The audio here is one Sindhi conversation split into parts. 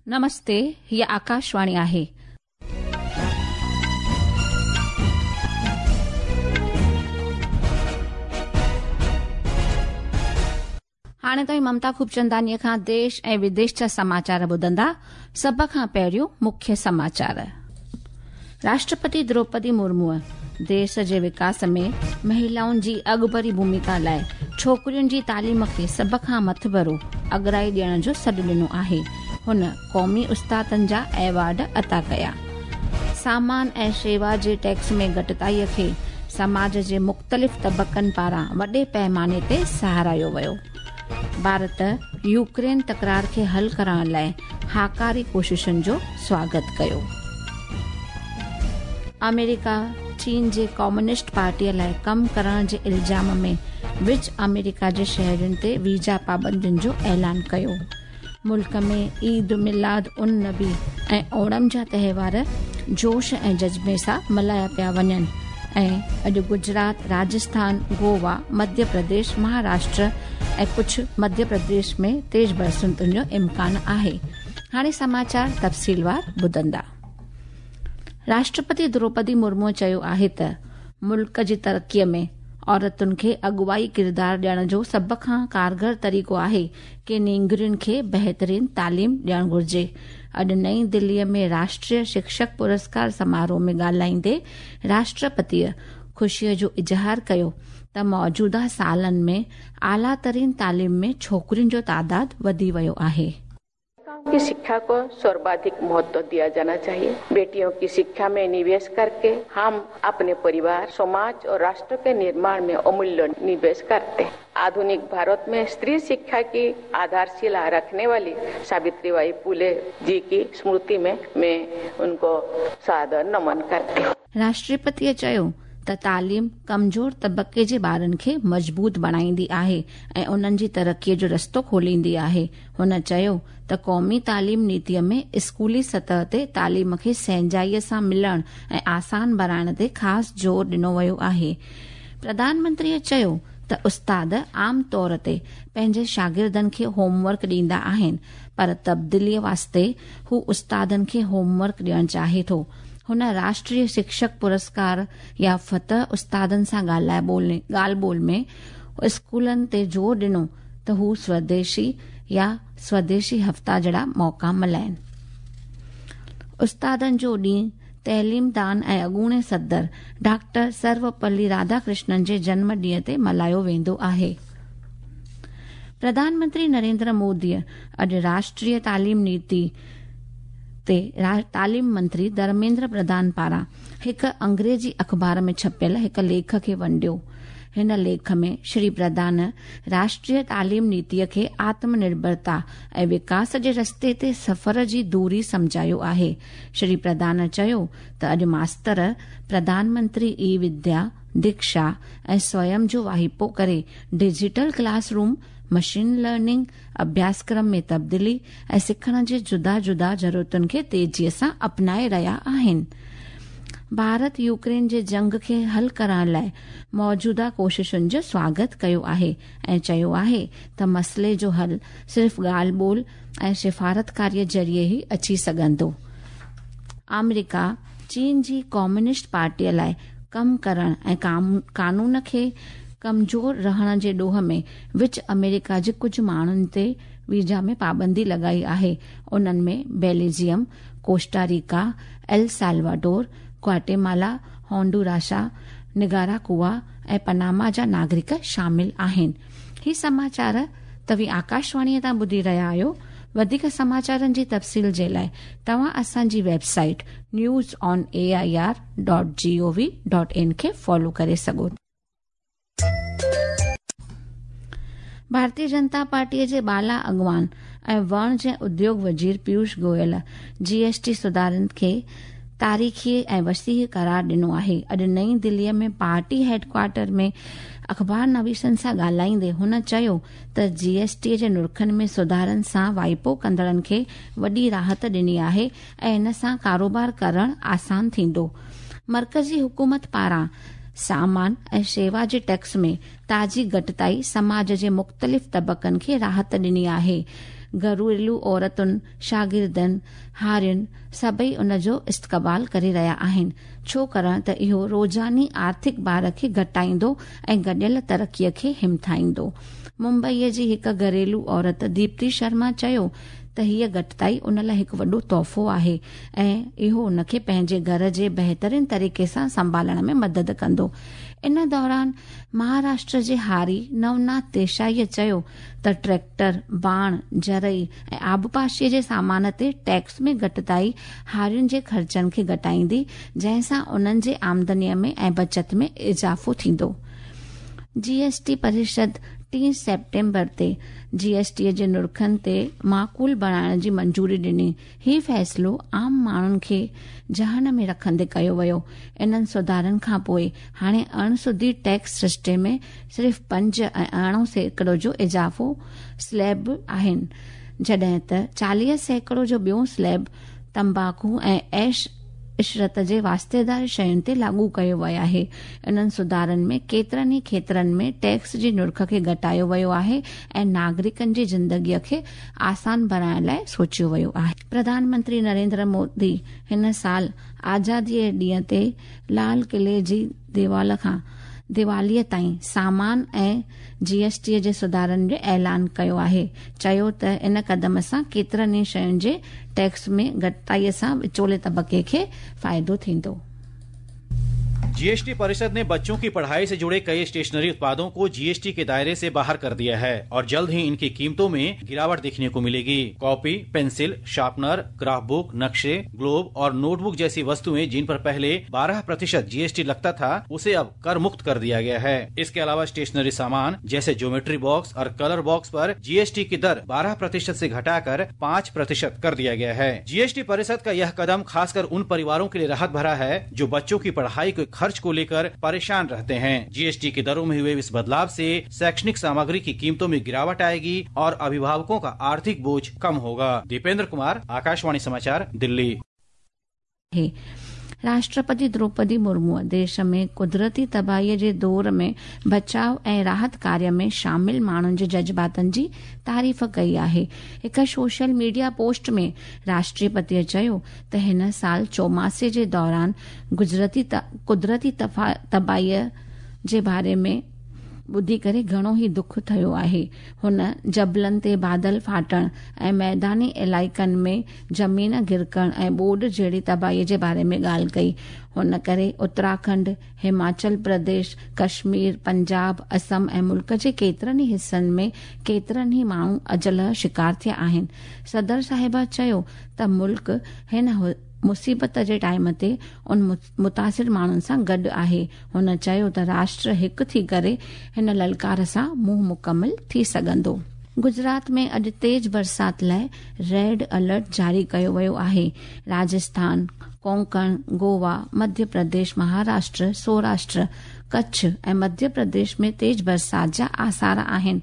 نمستي، هيء آڪاشواڻي آهي. هاڻي توهين ممتا خوبچندانيء کان ديش ۽ وديش جا سماچار ٻڌندا. سڀ کان پهريون مکيه سماچار. راشٽرپتي دروپدي مرموء ديش جي وڪاس ۾ مهلائن جي اڳڀري ڀوميڪا لاء ڇوڪرين جي تعليم کي سڀ کان مٿڀرو اڳرائي ڏيڻ جو سڏ ڏنو آهي. هن قومي استادن جا ايوارڊ عطا ڪيا. سامان ۽ شيوا جي ٽيڪس ۾ گهٽتائي کي سماج جي مختلف طبقن پاران وڏي پئماني تي ساراهيو ويو. ڀارت يوڪرين تڪرار کي حل ڪرڻ لاء هاڪاري ڪوششن جو سواگت ڪيو. آمريڪا چين جي ڪميونسٽ پارٽيء لاء ڪم ڪرڻ جي الزام ۾ وچ آمريڪا جي شهرين تي ويزا پابندين جو اعلان ڪيو. ملڪ ۾ عيد ميلاد النبي ۽ اوڻم جا تهوار جوش ۽ جذبي سان ملهايا پيا وڃن ۽ اڄ گجرات، راجسٿان، گوا، مڌيه پرديش، مهاراشٽر ۽ ڪجهه مڌيه پرديش ۾ تيز برساتن جو امڪان آهي. هاڻي سماچار تفصيلوار ٻڌندا. راشٽرپتي دروپدي مرمو چيو آهي ته ملڪ جي ترقي ۾ عورتن کي اڳواڻي ڪردار ڏيڻ جو سڀ کان ڪارگر طريقو آهي ڪي نينگرين کي بهترين تعليم ڏيڻ گهرجي. اڄ نئين دليء ۾ راشٽريه شڪشڪ پرسڪار سماروهه ۾ ڳالهائيندي راشٽرپتيء خوشيء جو اظهار ڪيو ته موجوده سالن ۾ اعليٰ ترين تعليم ۾ ڇوڪرين جو تعداد وڌي ويو آهي. बालिकाओं की शिक्षा को सर्वाधिक महत्व दिया जाना चाहिए। बेटियों की शिक्षा में निवेश करके हम अपने परिवार, समाज और राष्ट्र के निर्माण में अमूल्य निवेश करते हैं। आधुनिक भारत में स्त्री शिक्षा की आधारशिला रखने वाली सावित्रीबाई फुले जी की स्मृति में मैं उनको सादर नमन करती हूँ। राष्ट्रपतिअ चयो ته تعليم ڪمزور طبقي جي ٻارن کي مضبوط بڻائيندي آهي ۽ انهن جي ترقي جو رستو کوليندي آهي. هن چيو ته قومي تعليم نيتي ۾ اسڪولي سطح تي تعليم کي سهنجائي سان ملڻ ۽ آسان بڻائڻ تي خاص زور ڏنو ويو آهي. پرڌان منتريء چيو ته استاد عام طور تي پنهنجي شاگردن کي هوم ورڪ ڏيندا آهن پر تبديلي واسطي هو استادن کي هوم ورڪ ڏيڻ چاهي ٿو. هن راشٽريه شڪشڪ پرسڪار يافته استادن سان ڳالهه ٻولهه ۾ اسڪولن تي زور ڏنو ته هو سوديشي يا سوديشي هفتا جهڙا موقعا ملهائين. استادن جو ڏينهن تعليمدان ۽ اڳوڻي صدر ڊاڪٽر سروپلي راڌاڪرشنن جي جنم ڏينهن تي ملهايو ويندو آهي. پرڌان منتري نريندر موديء اڄ راشٽريه تعليم نيتي تي تعليم منتري ڌرميندر پرڌان پاران هڪ انگريزي اخبار ۾ ڇپيل هڪ ليک کي ونڊيو. هن ليک ۾ شري پرڌان راشٽريه تعليم نيتي کي آتم نرڀرتا ۽ وڪاس جي رستي تي سفر جي دوري سمجهايو آهي. شري پرڌان چيو ته اڄ ماستر پرڌان منتري اي وديا، ديڪشا ۽ سويم جو واهپو ڪري digital class room, machine learning, اڀياسڪرم ۾ تبديلي ۽ سکڻ جي جدا جدا ضرورتن کي تيزيء سان اپنائي رهيا آهن. ڀارت يوڪرين جي جنگ کي حل ڪرڻ لاء موجوده ڪوششن جو سواگت ڪيو آهي ۽ چيو آهي ته مسئلي جو حل صرف ڳالهه ٻولهه ۽ سفارتڪاري ذريعي ئي اچي سگهندو. آمريڪا چين جي ڪميونسٽ پارٽيء لاء ڪم ڪرڻ ۽ قانون کي ڪمزور رهڻ جي ڏوهه ۾ وچ آمريڪا جي ڪجهه ماڻهن تي ويزا ۾ پابندي لڳائي آهي. انهن ۾ Belgium, Costa Rica, El Salvador, Guatemala, Honduras, Nicaragua ۽ Panama جا ناگرڪ شامل آهن. هي سماچار توهين آڪاشواڻيء تان ٻڌي رهيا آهيو. وڌيڪ سماچارن جي تفصيل جي لاء توهان اسان جي website news on A I R dot G O V dot in کي فالو ڪري سگهو ٿا. ڀارتي جنتا پارٽيء جي بالا اڳواڻ ۽ وڻج ۽ اديوگ وزير Piyush Goyal G S T سڌارن کي تاريخي ۽ وسيع قرار ڏنو آهي. اڄ نئين دليء ۾ پارٽي هيڊ ڪوارٽر ۾ اخبار نويسن سان ڳالهائيندي هن چيو ته جي ايس ٽي جي نرخن ۾ سڌارن سان واهپو ڪندڙن کي وڏي راحت ڏني آهي ۽ ان سان ڪاروبار ڪرڻ آسان ٿيندو. مرڪزي حڪومت پاران سامان ۽ شيوا جي ٽيڪس ۾ تازي گهٽتائي سماج جي مختلف طبقن کي راحت ڏني آهي. گهريلو عورتن، شاگردن، هارين سڀئي ان جو استقبال ڪري رهيا آهن، ڇو ڪرڻ ته اهو روزاني آرٿڪ بار کي گهٽائيندو ۽ گڏيل ترقيء کي همٿائيندو. ممبئيء جي هڪ گهريلو عورت ديپتي شرما چيو ته هيء گهٽتائي ان لاء هڪ وڏو تحفو آهي ۽ اهو ان کي پنهنجي گهر جي بهترين طريقي سان سنڀالڻ ۾ مدد ڪندو. ان دوران مهاراشٽر جي هاري نوناٿ ديشائيء چيو ته ٽريڪٽر، ڀاڻ، زرعي ۽ آبپاشيء جي سامان تي ٽيڪس ۾ گهٽتائي هارين جي خرچن کي گهٽائيندي، جنهن سان انهن جي آمدنيء ۾ ۽ بچت ۾ اضافو ٿيندو. جي ايس ٽي پريشد ٽين سيپٽمبر تي جي ايس ٽي جي نرخن تي معقول بڻائڻ جي منظوري ڏني. هي فيصلو عام ماڻهن کي ذهن ۾ رکندي ڪيو ويو. انهن سڌارن کانپوء هاڻي اڻ سڌي ٽيڪس سرشتي ۾ صرف پنج ۽ 18% جو اضافو سليب آهن، جڏهن ته 40% جو ٻيو سليب تمباڪو ۽ عيش عشرت جي واسطيدار شين تي لاڳو ڪيو ويو آهي. انهن سڌارن ۾ ڪيترن ئي کيترن ۾ ٽيڪس جي نرخ کي گهٽايو ويو آهي ۽ ناگرڪن جي زندگي کي آسان بڻائڻ لاء سوچيو ويو آهي. پرڌان منتري نريندر مودي هن سال آزادي جي ڏينهن تي لال قلعي جي ديوال کان ديواليء تائين سامان ۽ جي ايس ٽي جي سڌارن جو اعلان ڪيو آهي، چيو ته ان قدم سان ڪيترن ئي شين جي ٽيڪس ۾ گهٽتائي سان وچولي طبقي کي فائدو ٿيندو. जीएसटी परिषद ने बच्चों की पढ़ाई से जुड़े कई स्टेशनरी उत्पादों को जीएसटी के दायरे से बाहर कर दिया है और जल्द ही इनकी कीमतों में गिरावट देखने को मिलेगी। Copy, pencil, sharpener, graph book, नक्शे, ग्लोब और नोटबुक जैसी वस्तुएं जिन पर पहले 12% जीएसटी लगता था, उसे अब कर मुक्त कर दिया गया है। इसके अलावा स्टेशनरी सामान जैसे ज्योमेट्री बॉक्स और कलर बॉक्स पर जीएसटी की दर 12% से घटाकर 5% कर दिया गया है। जीएसटी परिषद का यह कदम खासकर उन परिवारों के लिए राहत भरा है जो बच्चों की पढ़ाई के खर्च को लेकर परेशान रहते हैं। जीएसटी की दरों में हुए इस बदलाव से शैक्षणिक सामग्री की कीमतों में गिरावट आएगी और अभिभावकों का आर्थिक बोझ कम होगा। दीपेंद्र कुमार, आकाशवाणी समाचार, दिल्ली। राष्ट्रपति द्रौपदी मुर्मू देश में कुदरती तबाहीअ जे दौर में बचाव ऐं राहत कार्य में शामिल माण्हुनि जे जज़्बातनि जी तारीफ़ कई आहे। हिकु सोशल मीडिया पोस्ट में राष्ट्रपतीअ चयो त हिन साल चौमासे जे दौरान कुदरती तबाहीअ जे बारे में ٻڌي ڪري گهڻو ئي دک ٿيو آهي. هن جبلن تي بادل ڦاٽڻ ۽ ميداني علائقن ۾ زمين گرڪڻ ۽ ٻوڏ جهڙي تباهي جي باري ۾ ڳالهه ڪئي. هن ڪري اتراکنڊ، هماچل پرديش، ڪشمير، پنجاب، اسم ۽ ملڪ جي ڪيترن ئي حصن ۾ ڪيترن ئي ماڻهو اجل جو شڪار ٿيا آهن. صدر صاحبه چيو ته ملڪ هن مصيبت جي ٽائيم تي ان متاثر ماڻهن سان گڏ آهي. هن چيو ته راشٽر هڪ ٿي ڪري هن للڪار سان منهن مڪمل ٿي سگهندو. گجرات ۾ اڄ تيز برسات لاء ريڊ الرٽ جاري ڪيو ويو آهي. راجسٿان، ڪونڪڻ، گووا، مڌيه پرديش، مهاراشٽر، سوراشٽر، ڪڇ ۽ مڌيه پرديش ۾ تيز برسات جا آثار آهن.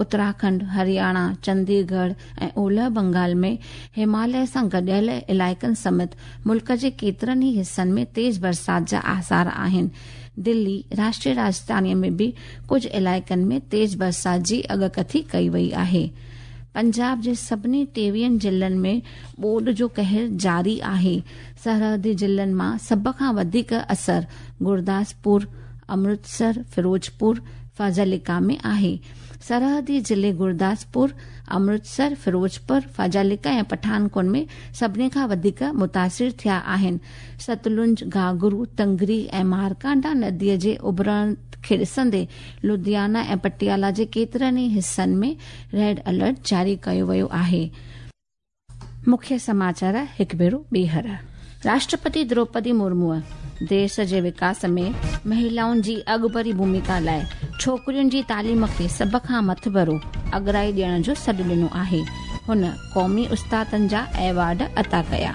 اتراکنڊ، هرياڻا، چندي ڳڙهه ۽ اولهه بنگال ۾ هماليه سان گڏيل علائقن سميت ملڪ جي ڪيترن ئي حصن ۾ تيز برسات جا آثار آهن. دلي، راشٽريه راڄڌاني ۾ به ڪجهه علائقن ۾ تيز برسات جي اڳڪٿي ڪئي وئي آهي. پنجاب جي سڀني ٽيويهن ضلعن ۾ ٻوڏ جو قهر جاري آهي. سرحدي ضلعن مان سڀ کان وڌيڪ اثر گرداسپور، امرتسر، فيروزپور، فاضلڪا ۾ آهي. سرحدي ضلعي گرداسپور، امرتسر، فيروزپور، فاضلڪا ۽ پٺانڪوٽ ۾ سڀني کان وڌيڪ متاثر ٿيا آهن. ستلج، گهاگهرو، تنگري ۽ مارڪانڊا نديء جي اڀرڻ کي ڏسندي لڌيانا ۽ پٽيالا جي ڪيترن ئي حصن ۾ ريڊ الرٽ جاري ڪيو ويو آهي. مکيه سماچار هڪ ڀيرو ٻيهر. راشٽرپتي دروپدي مرموء ديش جي وڪاس ۾ مهلائن جي اڳڀري ڀوميڪا لاء ڇوڪرين جي تعليم کي سڀ کان مٿڀرو اڳرائي ڏيڻ جو سڏ ڏنو آهي. هن قومي استادن جا ايوارڊ عطا ڪيا.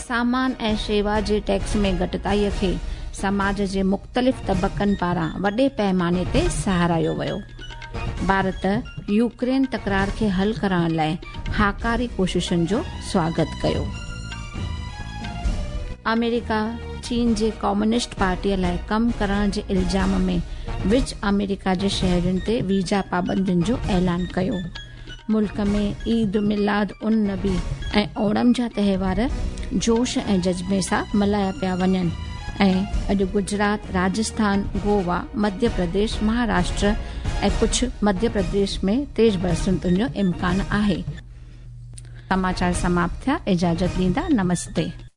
سامان ۽ شيوا جي ٽيڪس ۾ گهٽتائي کي سماج جي مختلف طبقن پاران وڏي پئماني تي ساراهيو ويو. ڀارت يوڪرين تڪرار کي حل ڪرڻ لاء هاڪاري ڪوششن جو سواگت ڪيو. آمريڪا چين جي ڪميونسٽ پارٽي لاء ڪم ڪرڻ جي الزام ۾ وچ آمريڪا جي شهرين تي ويزا پابندين جو اعلان ڪيو. मुल्क में ईद मिलाद उन नबी ऐं ओणम जा तहिवार जोश ऐं जज़्बे सां मल्हाया पिया वञनि ऐं अॼु गुजरात, राजस्थान, गोवा, मध्य प्रदेश, महाराष्ट्र ऐं कुझु मध्य प्रदेश में तेज़ बरसातुनि जो इम्कान आहे। समाचार समाप्त थिया। इजाज़त ॾींदा, नमस्ते।